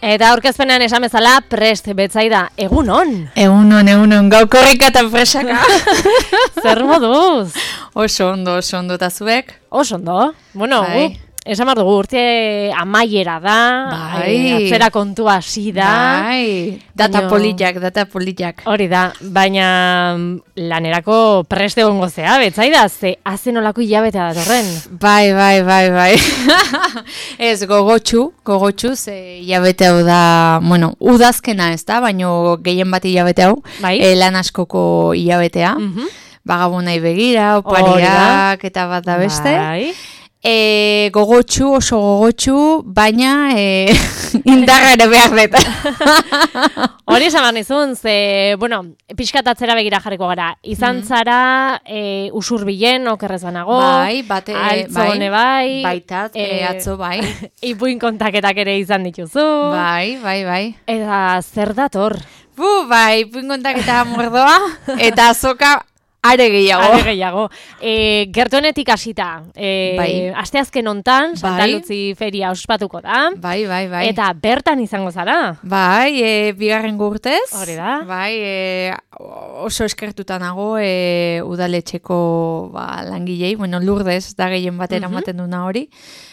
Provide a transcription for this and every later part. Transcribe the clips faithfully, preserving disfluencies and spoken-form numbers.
Eta aurkezpenean esan bezala prest Betsaida, egun on. Egun on, egun on, gau korrika eta presaka. Zer moduz? Oso ondo, oso ondo, eta zuek? Oso ondo. Bueno, gu, esan behar dugu, urte amaiera da, bai. Atzera kontua hasi da. Bai, data baino, politak, data politak. Hori da, baina lanerako prest egongo zea, Betsaida, ze hazen olako hilabetea datorren. Bai, bai, bai, bai. Ez, gogotxu, gogotxu, ze hilabete hau da, bueno, udazkena ez da, baino gehien bat hilabete hau, bai. e, lan askoko hilabetea. Mhm. Bagabonai begira, opariak, eta bat da beste. Bai. E, gogotxu, oso gogotxu, baina e, indarra ere behar dut. Hori esan behar nizun, ze, bueno, pixkat atzera begira jarriko gara. Izan zara e, usurbilen, okerrez banago. Bai, bate, altzone bai. Baitat, e, atzo bai. Ipuin kontaketak ere izan dituzu. Bai, bai, bai. Eta zer dator? Bu, bai, ipuin kontaketa mordoa, eta azoka are gehiago. Are gehiago. E, gertuenetik hasita, e, bai. asteazken hontan, bai. Santa Luzi feria ospatuko da. Bai, bai, bai. Eta bertan izango zara. Bai, e, bigarren urtez. Hori da. Bai, e, oso eskertuta nago e, udaletxeko ba, langilei, bueno, Lurdez da gehien batera ematen duna hori.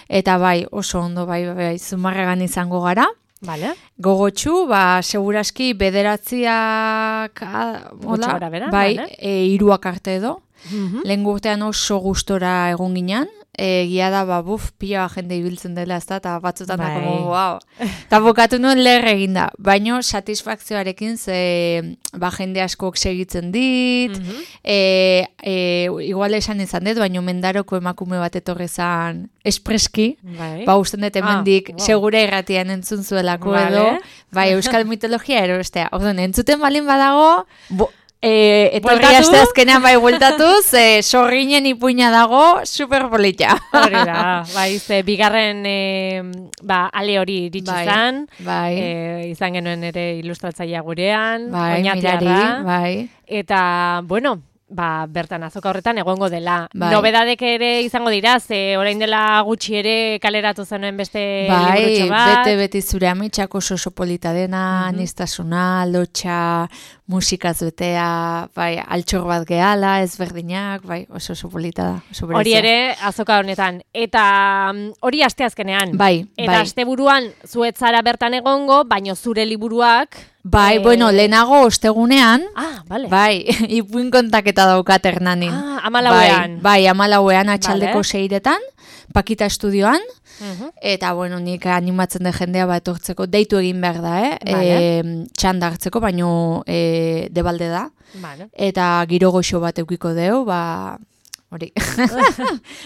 Eta bai, oso ondo, bai, bai, bai, Zumarragan izango gara. Vale. Gogotxu, ba, seguraski bederatziak, hola, bera, bai, vale. e, iruak arte edo. Mhm. Lehen urtean oso gustora egon ginen, e, gia da, ba, buf, pila jende ibiltzen dela, ez da, eta batzutan bai. da, como, wow. Eta bokatu nuen leher eginda, baino satisfakzioarekin, ze, ba, jende askok segitzen dit, Mhm. e, e, igual esan izan dut, baino mendaroko emakume bat etorri zan espreski, Bai. ba, usten dut hemendik Ah, wow. segura irratian entzun zuelako Vale. edo, bai, euskal mitologia erostea. Orduan, entzuten balin badago, bo, e, etorri Bueltatu? asteazkenean bai bueltatuz, e, sorginen ipuina dago, super polita. Hori da, bai, ze bigarren e, ba, ale hori iritsi Bai, zan, bai. e, izan genuen ere ilustratzailea gurean, Bai, oñatiarra, mirari, bai. eta, bueno, ba, bertan azoka horretan egongo dela. Bai. Nobedadek ere izango dira, ze orain dela gutxi ere kaleratu zenuen beste Bai, liburutxo bat. bete beti zure amitxak oso oso polita dena, Mhm. aniztasuna, lotxa, musikaz betea, bai, altxor bat gehala, ezberdinak, bai, oso oso polita da. Oso Hori berezia. ere azoka honetan. Eta mm, hori asteazkenean. Bai, Eta bai. asteburuan zuetzara bertan egongo, baino zure liburuak... Bai, eh, bueno, lehenago ostegunean, Ah, vale. bai, ipuin kontaketa daukat Hernanin. Ah, hamalauean. Bai, bai, hamalauean atxaldeko Vale. seiretan, Pakita estudioan, Mhm. eta, bueno, nik animatzen de jendea bat etortzeko, deitu egin behar da, eh? Vale. E, txanda hartzeko, baino e, debalde da. Vale. Eta giro goxo bat eukiko deu, ba, hori.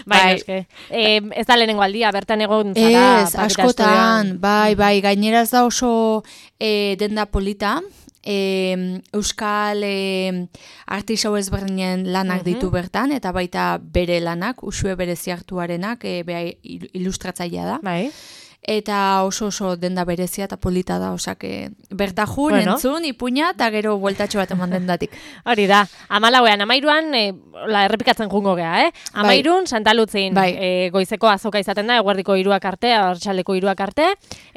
Bai, Bai. eske. Eh, ez da lehenengo aldia, bertan egon zara. Ez, Pakita askotan, estudioan. bai, bai, gaineraz da oso e, denda polita, e, euskal e, artisau ezberdinen lanak Mhm. ditu bertan, eta baita bere lanak, usue berezi hartuarenak, e, beha il- ilustratzailea da. Bai. Eta oso oso denda berezia eta polita da, osak, bertajun, Bueno. entzun, ipuina, eta gero bueltatxo bat eman dendatik. Hori da, amalauean, amairuan, e, la, errepikatzen jungo gea, eh? Amairun, Santa Lutzin, Bai. e, goizeko azoka izaten da, eguerdiko hiruak arte, arratsaldeko hiruak arte,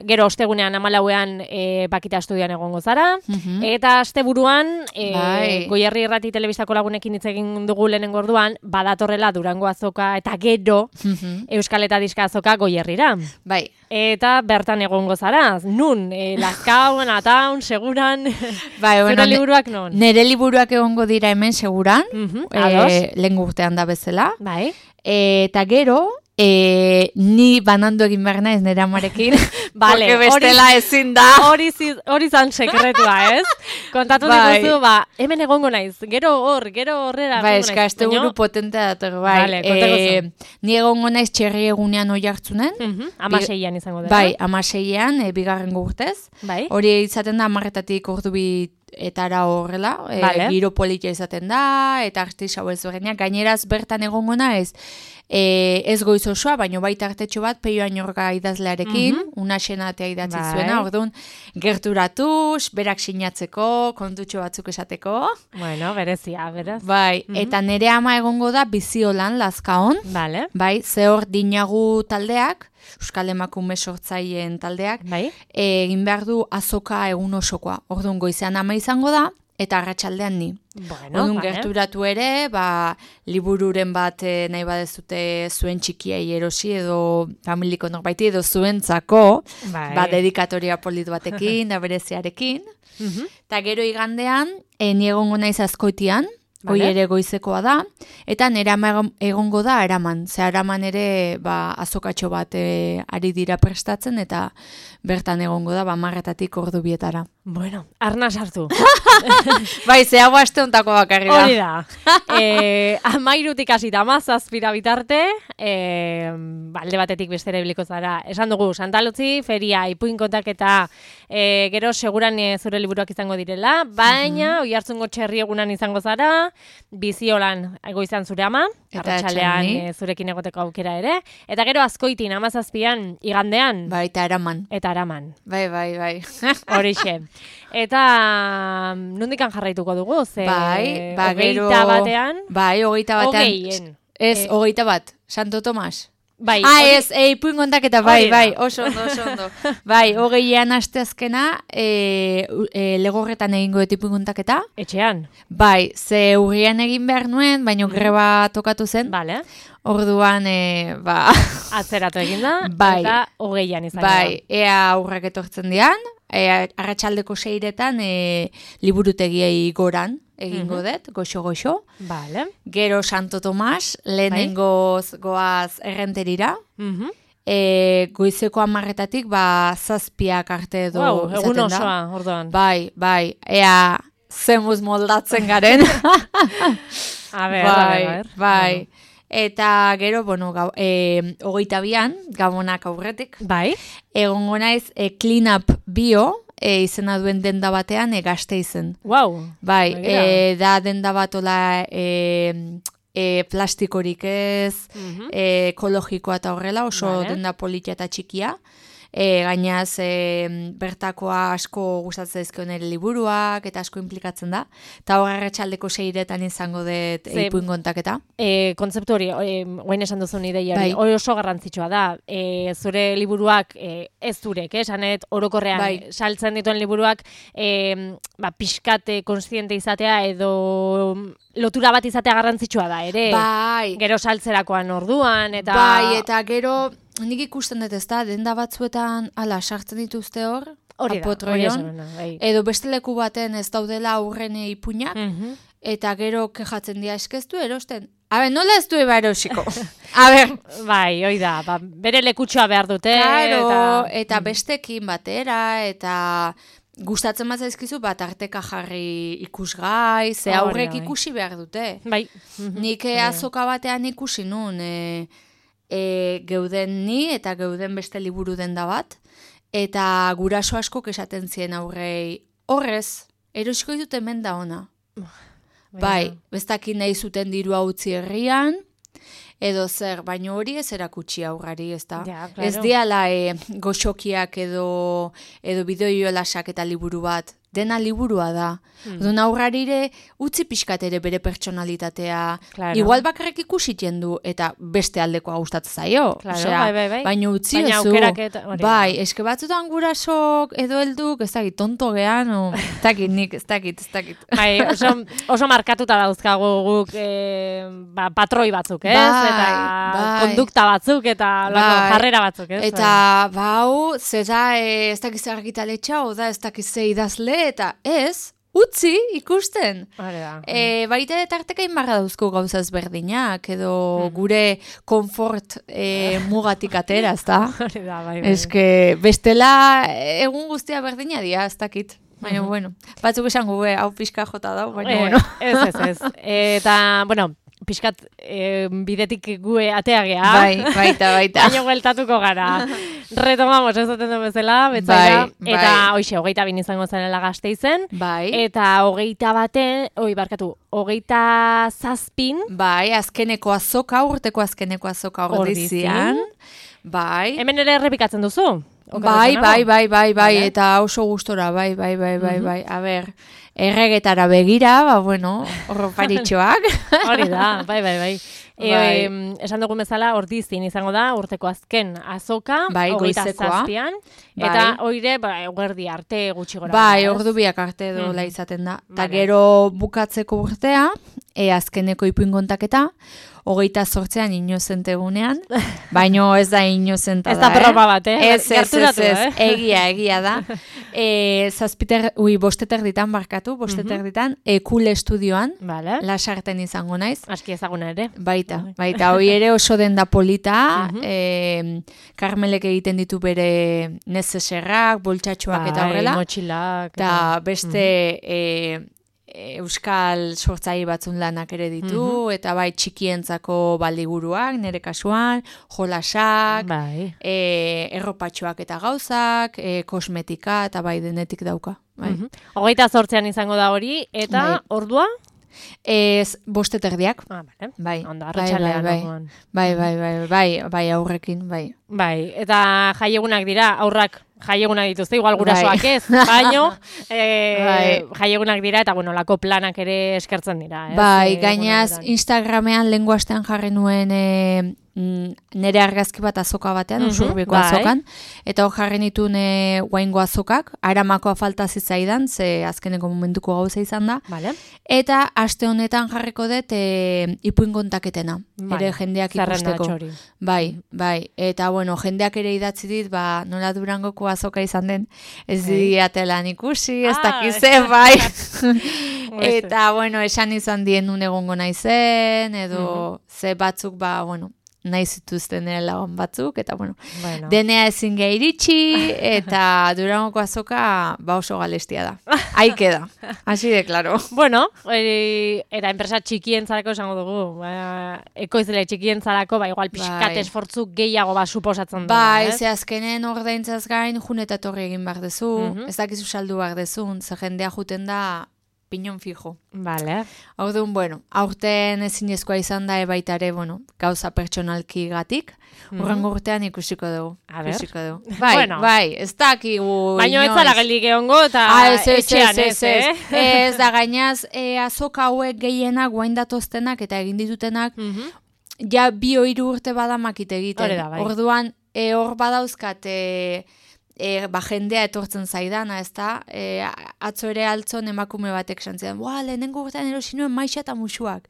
gero ostegunean amalauean e, Pakita estudioan egongo zara, Mhm. eta asteburuan, e, Bai. Goierri Irrati telebistako lagunekin hitz egin dugu lehenengo orduan, badatorrela Durango azoka, eta gero Mhm. Euskal eta Diska azoka Goierrira. Bai, Eta bertan egongo zara, nun, e, Lazkaun, Ataun, Seguran, bai, zure bueno, ne- liburuak non? nere liburuak egongo dira hemen seguran, Mhm, e, ados. lehen urtean da bezala. Bai. Eta gero, e, ni banandu egin behar naiz nire amarekin, Vale, porque bestela hori- ezin da. Hori zi- hori zan sekretua, ez? Kontatu Bai. diguzu, ba, hemen egongo naiz, gero hor, gero horrera. Ba, egongo eska, naiz, este baino- buru potentea dator, bai. Vale, kontaguzu. ni egongo naiz txerri egunean oi hartzunen, Mhm, hamaseian izango dela. bai, amaseian, e, bigarren urtez. Bai. Hori izaten da amarretatik ordu bi etara horrela, e, Vale. giro politia izaten da, eta artisau ezberdinak, gaineraz bertan egongo naiz, e, ez goiz osoa, baino baita artetxo bat, Peio Añorga idazlearekin, mm -hmm. una xenatea idatzi bai. zuena, orduan, gerturatuz, berak sinatzeko, kontutxo batzuk esateko. Bueno, berezia, beraz. Bai, mm -hmm. eta nere ama egongo da Biziolan, Lazkaon. Vale. Bai, zehor dinagu taldeak, Euskal Emakume sortzaileen taldeak, bai. egin behar du azoka egun osokoa. Orduan goizean ama izango da, eta arratsaldean ni. Bueno, Orduan vale. gerturatu ere, ba, libururen bat eh, nahi badezute zuen txikiai erosi edo familiko norbaiti edo zuentzako, Bai. ba, dedikatoria polit batekin, da bereziarekin. Mhm. Eta gero igandean, e, ni egongo naiz Azkoitian, hoi Vale. ere goizekoa da, eta nire ama egongo da Araman. Ze Araman ere ba, azokatxo bat e, ari dira prestatzen, eta bertan egongo da, ba, marretatik ordu bietara. Bueno, arna sartu. Bai, ze hau aste ontako bakarri da. Hori da. E, amairutik hasita amazazpira bitarte, e, alde batetik bestera ibiliko zara. Esan dugu, Santalutzi, feria, ipuin kontaketa, e, gero seguran e, zure liburuak izango direla, baina, mm -hmm. Oiartzungo txerri egunan izango zara, Biziolan goizan zure ama, arratsalean e, zurekin egoteko aukera ere, eta gero Azkoitin, amazazpian, igandean. Bai, eta Araman. Eta Araman. Bai, bai, bai. Horixe. Eta nondikan jarraituko dugu, ze bai, ba, gero, hogeita batean. Bai, hogeita batean. Hogeien. Ez, Eh, hogeita bat, Santo Tomas. Bai, Ah, hori- ez, e, ipuin kontaketa, bai, Hori da. bai, oso ondo, oso ondo. Bai, hogeian asteazkena, e, e, legorretan egingo dut ipuin kontaketa. Etxean. Bai, ze urrian egin behar nuen, baino greba tokatu zen. Vale. Orduan, e, ba, Atzeratu egin da, Bai. eta hogeian izango bai, ea aurrak etortzen dian, e, arratsaldeko seiretan e, liburutegiei goran egingo dut, goxo-goxo. da. Vale. Gero Santo Tomas, lehenengoz goaz errenterira. Mhm. E, goizeko amarretatik, ba, zazpiak arte edo Wow, egun izaten da. osoa, orduan. Bai, bai, ea zemuz moldatzen garen. A ber, bai, a ber. bai. Eta gero, bueno, gau, e, hogeita bian, gabonak aurretik, Bai. egongo naiz e, Clean Up Bio, e, izena duen denda batean, e, gazte izen. Wow. Bai, Begira. e, da denda batola e, e, plastikorik ez, Mhm. e, ekologikoa eta horrela, oso Vale. denda politia eta txikia. E, gainaz, e, bertakoa asko gustatzen zaizkio nire liburuak, eta asko implikatzen da. Eta hor arratsaldeko seiretan izango dut Ze- ipuin kontaketa. E, kontzeptu hori, e, guain esan duzun ideia hori, Bai. hori oso garrantzitsua da. E, zure liburuak, e, ez zurek, eh, esanet orokorrean Bai. saltzen dituen liburuak, e, ba, pixkate konstiente izatea edo lotura bat izatea garrantzitsua da, ere. Bai, Gero saltzerakoan orduan, eta... bai, eta gero, nik ikusten dut ez da, denda batzuetan, ala, sartzen dituzte hor, hori da, hori apotroion, esan nuen, bai. edo beste leku baten ez daudela aurren ipuinak, Mhm. eta gero kejatzen dira eskeztu erosten. A ber, nola ez du eba erosiko? A ber, Bai, hoi da, ba, bere lekutxoa behar dute, claro, eta... eta bestekin batera, eta gustatzen bat zaizkizu, bat arteka jarri ikusgai, ze Hori da, aurrek bai. ikusi behar dute. Bai. Mhm. Nik eh, azoka batean ikusi nun, e, e, geuden ni eta geuden beste liburu denda bat, eta guraso asko esaten zien aurrei, horrez, erosiko ditut hemen da ona. Bai, bestakin nahi zuten dirua utzi herrian, edo zer, baino hori ez erakutsi aurrari, ez da? Ja, claro. Ez diala e, goxokiak edo, edo bideoiolasak eta liburu bat, dena liburua da. Hmm. Dun aurrarire utzi pixkat ere bere pertsonalitatea. Claro. Igual bakarrik ikusiten du eta beste aldekoa gustatzen zaio. Claro, Osea, bai, bai, bai. baina utzi Baina ezu. aukerak eta- hori da. Bai, eske batzutan gurasok edo helduk, ez dakit, tonto gean, o, ez dakit nik, ez dakit, ez dakit. Bai, oso, oso markatuta dauzkagu guk e, ba, patroi batzuk, ez? Bai, eta bai. kondukta batzuk, eta lako, Bai. jarrera batzuk, ez? Eta, bau, ze da, e, ez dakiz argitaletxa, o da, ez dakiz ze idazle, eta ez, utzi ikusten. Hori da. E, baita ere tarteka inbarra dauzko gauza ezberdinak, edo gure konfort e, mugatik atera, ez da? Hori da, bai, bai. Eske, bestela egun guztia berdina dia, ez dakit. Baina, bueno, batzuk esango, be, hau pixka jota dau, baina, Eh, bueno. Ez, ez, ez. Eta, bueno, pixkat e, bidetik gue ateagea. Bai, baita, baita. Baina bueltatuko gara. retomamos, ez zaten duen bezala, betzaira, bai, eta bai. hoxe, hogeita bin izango zarela Gasteizen, Bai. eta hogeita baten, oi, barkatu, hogeita zazpin, Bai, azkeneko azoka, urteko azkeneko azoka ordizian. Bai. Hemen ere errepikatzen duzu? Bai, bai, bai, bai, bai, eta oso gustora, bai, bai, bai, bai, bai. A ber, erregetara begira, ba, bueno, horroparitxoak. Hori da, bai, bai, bai. E, Bai. em, esan dugun bezala, ordizin izango da, urteko azken azoka, Bai, hogeita goizekoa. zazpian, Bai. eta hoire, ba, eguerdi arte gutxi gora. Bai, ez? ordu biak arte dola Mhm. izaten da. Ta Vale. gero bukatzeko urtea, e, azkeneko ipuin kontaketa, hogeita zortzean inozentegunean, baino ez da inozenta da, Ez da broma bat, eh? Ez, ez, ez, Gerturatu, ez, eh? egia, egia da. E, zazpiter, ui, bosteter ditan barkatu, bosteter Mhm. ditan, e, Cool Estudioan, Vale. lasarten izango naiz. Aski ezaguna ere. Baita, baita, hoi ere oso denda polita, Mhm. e, Karmelek egiten ditu bere nezeserrak, boltsatxoak eta horrela. Bai, motxilak. Eta beste e, e, euskal sortzaile batzun lanak ere ditu, eta bai txikientzako baliguruak, nire kasuan, jolasak, Bai. e, erropatxoak eta gauzak, e, kosmetika, eta bai denetik dauka. Bai. Mhm. Hogeita zortzean izango da hori, eta Bai. ordua? Ez, bosteterdiak. Ah, bale. Bai, Ondo, bai, arratsaldean. bai, orduan. bai, bai, bai, bai, bai, aurrekin, bai. Bai, eta jaiegunak dira, aurrak jaiegunak dituzte, igual gurasoak Bai. ez, baino, e, Bai. jaiegunak dira, eta bueno, lako planak ere eskertzen dira. Ez? Bai, E, gainaz egunetan. Instagramean lehengo astean jarri nuen e, mm, nire argazki bat azoka batean, Mhm, usurbiko bai. azokan, eta hor jarri nituen e, guaingo azokak, aramakoa falta zitzaidan, ze azkeneko momentuko gauza izan da, Vale. eta aste honetan jarriko dut e, ipuin kontaketena, Vale. ere jendeak Zerrenda ikusteko. txori. Bai, bai, eta bueno, jendeak ere idatzi dit, ba, nola Durangoko azoka izan den, ez Bai. diatelan ikusi, ez Ah, dakize, bai. Beste. Eta, bueno, esan izan dien nun egongo naizen, edo ze batzuk, ba, bueno, nahi zituzten ere lagun batzuk, eta, bueno, Bueno. denea ezin gehi iritsi, eta Durangoko azoka, ba, oso galestia da. Haike da, hasi de, claro. Bueno, e, eta enpresa txikientzarako esango dugu, ba, ekoizle txikientzarako, ba, igual pixkat Bai. esfortzu gehiago ba, suposatzen dut. Bai, ze azkenen ordaintzaz gain, jun eta torri egin behar dezu, Mhm. ez dakizu saldu behar dezun, ze jendea juten da pinon fijo. Vale. Orduan, bueno, aurten ezinezkoa izan da ebaitare, bueno, gauza pertsonalki gatik, urrengo urtean ikusiko dugu. A ber. Ikusiko dugu. Bai, Bueno. bai, ez dakigu Baina ez inoiz. zara geldik egongo, eta Ah, ez, ez, etxean ez, ez, eh? ez, da gainaz, e, azoka hauek gehienak guain datoztenak eta egin ditutenak, Mhm. ja bi hiru urte badamakit egiten. Hori da, bai. Orduan, e, hor badauzkat, e, e, ba, jendea etortzen zaidana, ez da? E, atzo ere altzon emakume batek esan zidan, boa, lehenengo urtean erosi nuen maixa eta musuak.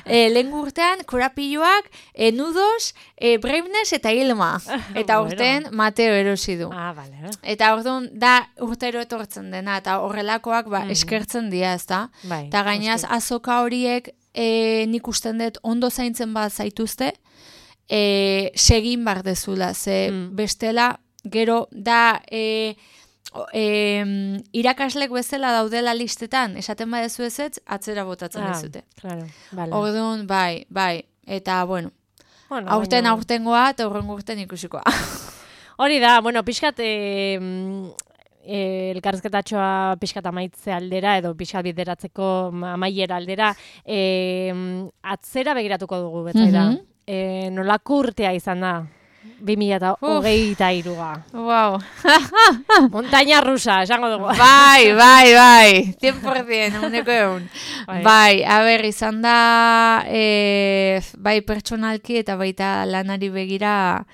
e, lehenengo urtean, korapilloak, e, nudos, e, breimnes eta hilma. Eta Bueno. urtean, Mateo erosi du. Ah, vale. Eta orduan, da urtero etortzen dena, eta horrelakoak, ba, Mhm. eskertzen dira, ez da? Bai. Eta gainaz, noski. azoka horiek e, nik usten dut ondo zaintzen bat zaituzte, e, segin bar dezula, ze Mm. bestela, gero, da, e, o- e, irakaslek bezala daudela listetan, esaten badezu ez ez, atzera botatzen Ah, dizute. claro, vale. Orduan, bai, bai, eta, bueno, Bueno, aurten baina- aurtengoa, eta horrengo urten ikusikoa. Hori da, bueno, pixkat e, e, elkarrizketatxoa pixkat amaitze aldera, edo pixkat bideratzeko amaiera aldera, e, atzera begiratuko dugu, betzaida. Mhm. e, nolako urtea izan da? bi mila hogeita hiruga. Wow. Montaña rusa, esango dugu. Bai, bai, bai, cien por cien, uneko egun. Bai. Bai, a ber, izan da, e, bai pertsonalki eta baita lanari begira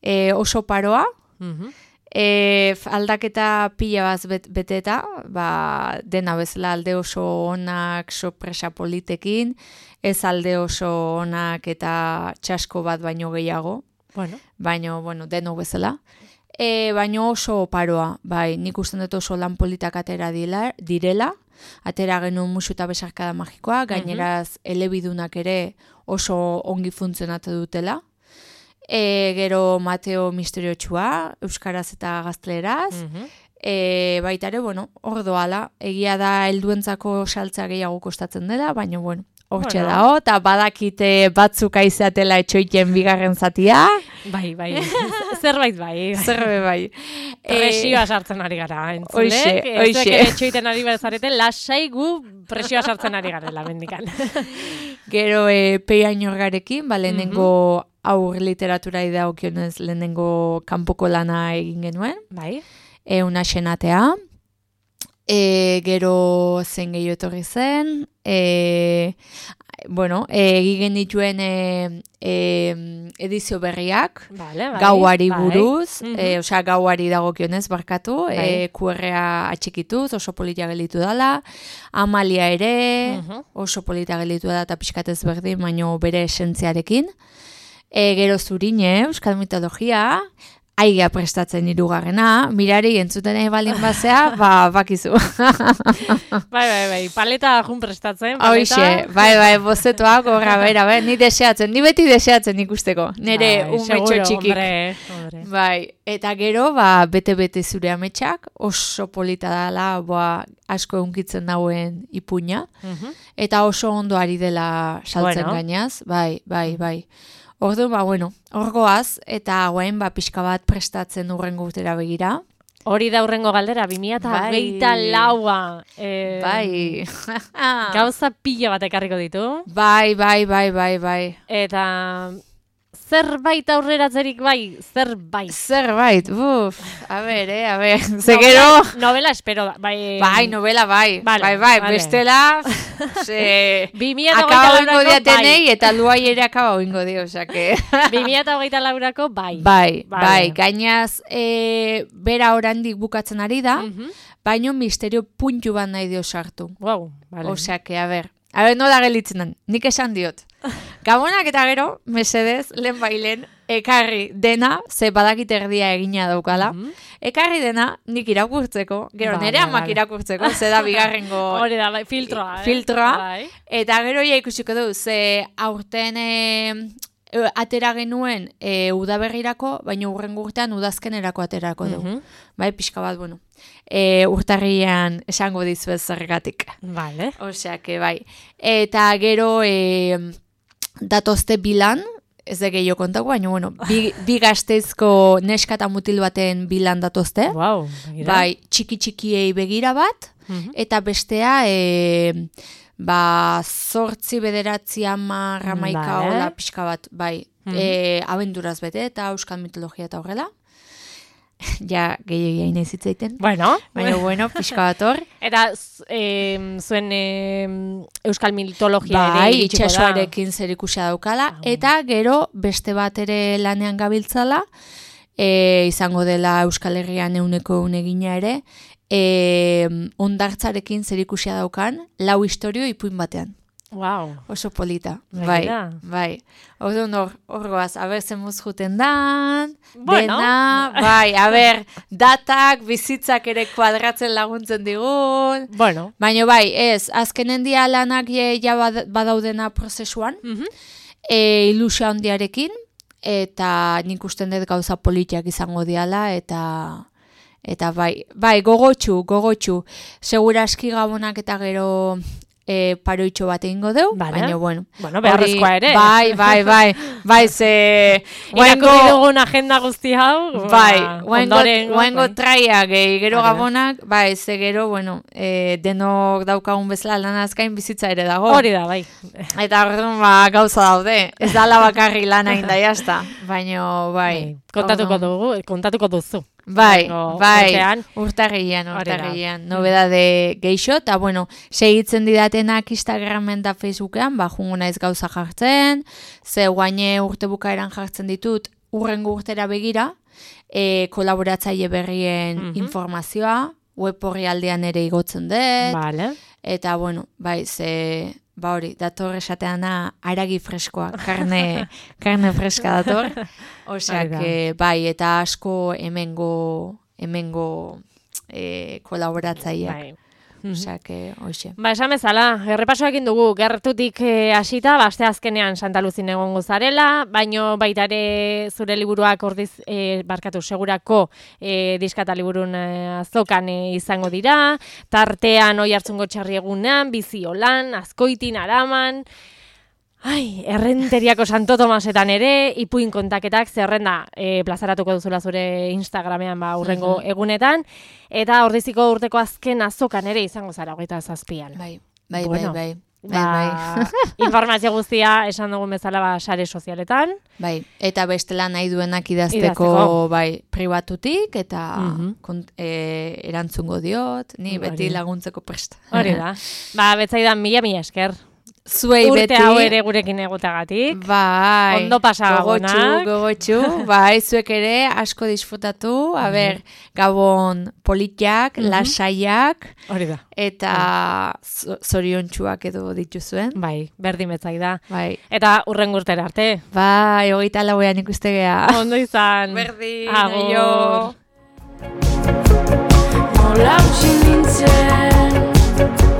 e, oso paroa, Mhm. e, aldaketa pila bat bet, beteta, ba, dena bezala alde oso onak, sorpresa politekin, ez alde oso onak eta txasko bat baino gehiago, Bueno, baino, bueno, deno bezala. E, baino oso paroa, bai, nik usten dut oso lan politak atera dila, direla, atera genuen musu eta besarkada magikoa, gaineraz elebidunak ere oso ongi funtzionatu dutela. E, gero Mateo misteriotxua, euskaraz eta gazteleraz, mhm. e, baita ere, bueno, hor doala, egia da helduentzako saltza gehiago kostatzen dela, baina, bueno, hortxe Bueno. dao, eta badakite batzuk aizatela etxoiten bigarren zatia. Bai, bai, zerbait bai. Zerbe bai. Presioa sartzen ari gara, entzulek. Hoxe, Ez hoxe. zuek ere txoiten ari bezarete, lasai gu presioa sartzen ari garela, mendikan. Gero e, peianorgarekin, ba, lehenengo aur literatura idagokionez lehenengo kanpoko lana egin genuen. Bai. E, una xenatea. E, gero zen gehiago etorri zen. E, bueno, egin genituen e, e, edizio berriak. Vale, bai, Gauari bai. buruz, Mhm. e, osea gauari dagokionez barkatu, Bai. e, Q R-a atxikituz, oso polita gelitu dela, Amalia ere, Mhm. oso polita gelitu da eta pixkatez berdin, baino bere esentziarekin. E, gero Zurine, Euskal Mitologia, aigea prestatzen hirugarrena, mirari entzuten nahi balin bazea, ba, bakizu. Bai, bai, bai, paleta jun prestatzen, paleta. Hoxe, bai, bai, bozetoak, horra, bera, bai, ni deseatzen, ni beti deseatzen ikusteko, nire Bai, umetxo seguro, txikik. hombre, hombre. Bai, eta gero, ba, bete-bete zure ametsak, oso polita dela, ba, asko eunkitzen dauen ipuña, Mhm. eta oso ondo ari dela saltzen Bueno. gainaz, bai, bai, bai. Orduan, ba, bueno, hor goaz, eta guain, ba, pixka bat prestatzen urrengo urtera begira. Hori da hurrengo galdera, bi mila hogeita laua. Eh, Bai. Gauza pila bat ekarriko ditu. Bai, bai, bai, bai, bai. Eta zerbait aurreratzerik bai, zerbait. Zerbait, buf, a ber, eh, a ber, ze gero... Novela, novela espero da, bai. Bai, novela bai, Vale, bai, bai, vale. bestela, ze... bi mila hogeita Akaba oingo laurako diatenei bai. eta luai ere akaba oingo dio, osake. bi mila hogeita laurako bai. Bai, Vale. bai, gainaz, e, bera orandik bukatzen ari da, Mhm. baino misterio puntu bat nahi dio sartu. Wow, vale. Osake, a ber, a ber, nola gelitzen den, nik esan diot. Gabonak eta gero, mesedez, lehen bailen, ekarri dena, ze badakit erdia egina daukala, Mhm. ekarri dena nik irakurtzeko, gero Vale, nire amak vale. irakurtzeko, ze da bigarrengo Hori da, bai, filtroa. Eh? filtroa. Bai. Eta gero ja ikusiko du, ze aurten e, e, atera genuen e, udaberrirako, baina urrengo urtean udazkenerako aterako dugu. Mhm. Bai, pixka bat, bueno. E, urtarrian esango dizuez zergatik. Vale. Osea, que bai. Eta gero e, datozte bilan, ez da gehiago kontako, baina, bueno, bi, bi gazteizko neska eta mutil baten bilan datozte. Wow, begira. Bai, txiki-txikiei begira bat, Mhm. eta bestea, e, ba, zortzi bederatzi amar, amaika, Vale. hola, pixka bat, bai, Mhm. e, abenduraz bete, eta euskal mitologia eta horrela. Ja, gehiagia inez hitzaiten. Bueno, Baina, bueno, pixka bat hor. eta z- em, zuen em, euskal mitologia Bai, ere iritsiko da. itxasoarekin zer ikusia daukala, Ah. eta gero beste bat ere lanean gabiltzala, e, izango dela Euskal Herrian euneko eunegina ere, e, ondartzarekin zer ikusia daukan, lau historio ipuin batean. Wow. Oso polita. Bai, Begira. bai. Orduan hor, hor goaz, aber zemuz juten dan, Bueno. dena, bai, aber, datak, bizitzak ere kuadratzen laguntzen digun, Bueno. baina bai, ez, azkenen dia lanak je, ja bad- badaudena prozesuan, Mhm. e, ilusia handiarekin, eta nik usten dut gauza politiak izango diala, eta eta bai, bai, gogotxu, gogotxu, segura aski gabonak eta gero e, paroitxo bat egingo deu, Vale. baina bueno. Bueno, beharrezkoa hori- ere. Bai, bai, bai, bai, ze... Irakurri dugun agenda guzti hau. Bai, ba, guaingo, ondorengo, guaingo bai. traia gehi, gero Hori da. gabonak, bai, ze gero, bueno, e, denok daukagun bezala lanazkain bizitza ere dago. Hori da, bai. Eta orduan, ba, gauza daude. Ez dala bakarri lana inda jazta. Baina, bai. Kontatuko orduan- dugu, kontatuko duzu. Bai, Urrengo bai, urtean. urtarrian, Hori da. urtarrian, nobedade geixo, eta bueno, segitzen didatenak Instagramen da Facebookean, ba, jungo naiz gauza jartzen, ze guaine urte bukaeran jartzen ditut, urrengo urtera begira, e, kolaboratzaile berrien Mhm. informazioa, web orrialdean ere igotzen dut, Vale. eta bueno, bai, ze... Ba hori, dator esateana aragi freskoa, karne, karne freska dator. Osea, Hori da. que, bai, eta asko hemengo, hemengo e, kolaboratzaileak. Bai. osea, que, hoxe. Ba, esan bezala, errepasoak dugu, gertutik eh, hasita, baste azkenean Santa Luzin egongo zarela, baino baita ere zure liburuak ordiz, eh, barkatu, segurako eh, diskata liburun eh, azokan eh, izango dira, tartean oi hartzungo txarri egunean, biziolan, azkoitin, araman, ai, errenteriako Santo Tomasetan ere, ipuin kontaketak zerrenda e, plazaratuko duzula zure Instagramean ba, urrengo uh-huh. egunetan, eta ordiziko urteko azken azokan ere izango zara, hogeita zazpian. Bai, bai, bueno, bai, bai. Ba, bai. Informazio guztia esan dugun bezala ba, sare sozialetan. Bai, eta bestela nahi duenak idazteko, idazteko. Bai, pribatutik, eta uh-huh. kont, e, erantzungo diot, ni Hori. Beti laguntzeko prest. Hori da. Ba, betzaidan mila mila esker. Zuei Urte beti. Urte hau ere gurekin egotagatik. Bai. Ondo pasagagonak. Gogotxu, gogotxu. Bai, zuek ere asko disfrutatu. A mm. ber, gabon politiak, mm-hmm. lasaiak. Hori da. Eta mm. zoriontsuak edo dituzuen. Bai, berdin betzai da. Bai. Eta urren gurtera arte. Bai, hogeita lauean ikuste gea. Ondo izan. Berdin. Agur. Nola utzi nintzen